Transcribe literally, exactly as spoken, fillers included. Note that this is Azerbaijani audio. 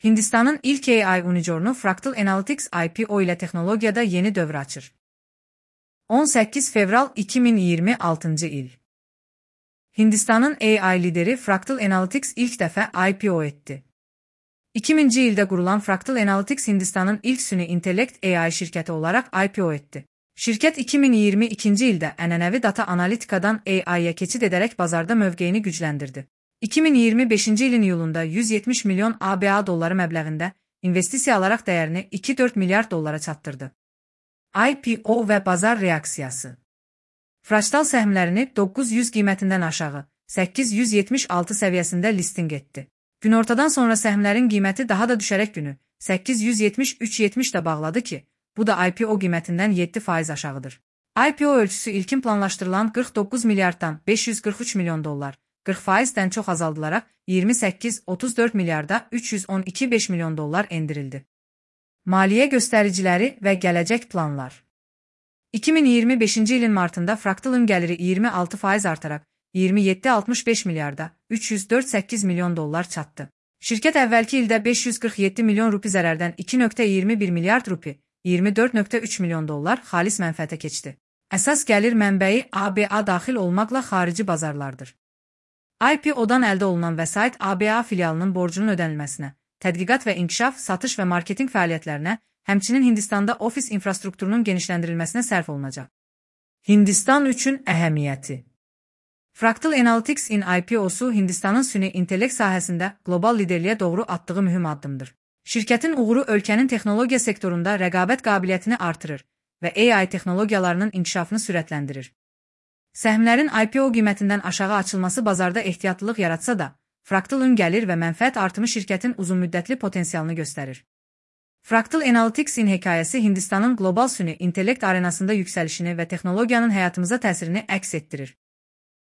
Hindistanın ilk A I unicornu Fractal Analytics I P O ile teknolojiyada yeni dövr açır. on səkkiz fevral iki min iyirmi altıncı il. Hindistanın A I lideri Fractal Analytics ilk dəfə I P O etdi. iki minci ildə qurulan Fractal Analytics Hindistanın ilk süni intellekt A I şirkəti olaraq I P O etdi. Şirkət iki min iyirmi ikinci ildə ənənəvi data analitikadan A I-yə keçid edərək bazarda mövqeyini gücləndirdi. iki min iyirmi beşinci ilin iyulunda yüz yetmiş milyon A B A dolları məbləğində investisiya alaraq dəyərini iki nöqtə dörd milyard dollara çatdırdı. I P O və bazar reaksiyası. Fractal səhmlərini doqquz yüz qiymətindən aşağı səkkiz yüz yetmiş altı səviyyəsində listing etdi. Günortadan sonra səhmlərin qiyməti daha da düşərək günü səkkiz yüz yetmiş üç yetmişdə bağladı ki, bu da I P O qiymətindən yeddi faiz aşağıdır. I P O ölçüsü ilkin planlaşdırılan qırx doqquz milyarddan beş yüz qırx üç milyon dollar, qırx faizdən çox azaldılaraq iyirmi səkkiz otuz dörd milyarda üç yüz on iki beş milyon dollar endirildi. Maliyyə göstəriciləri və gələcək planlar. iki min iyirmi beşinci ilin martında Fractal'ın gəliri iyirmi altı faiz artaraq iyirmi yeddi altmış beş milyarda üç yüz dörd səkkiz milyon dollar çatdı. Şirkət əvvəlki ildə beş yüz qırx yeddi milyon rupi zərərdən iki nöqtə iyirmi bir milyard rupi, iyirmi dörd nöqtə üç milyon dollar xalis mənfəətə keçdi. Əsas gəlir mənbəyi A B A daxil olmaqla xarici bazarlardır. I P O-dan əldə olunan vəsait A B A filialının borcunun ödənilməsinə, tədqiqat və inkişaf, satış və marketinq fəaliyyətlərinə, həmçinin Hindistanda ofis infrastrukturunun genişləndirilməsinə sərf olunacaq. Hindistan üçün əhəmiyyəti. Fractal Analytics-in I P O-su Hindistanın süni intellekt sahəsində qlobal liderliyə doğru atdığı mühüm addımdır. Şirkətin uğuru ölkənin texnologiya sektorunda rəqabət qabiliyyətini artırır və A I texnologiyalarının inkişafını sürətləndirir. Səhmlərin I P O qiymətindən aşağı açılması bazarda ehtiyatlılıq yaratsa da, Fractal'ın gəlir və mənfəət artımı şirkətin uzunmüddətli potensialını göstərir. Fractal Analytics-in hekayəsi Hindistanın qlobal süni intellekt arenasında yüksəlişini və texnologiyanın həyatımıza təsirini əks etdirir.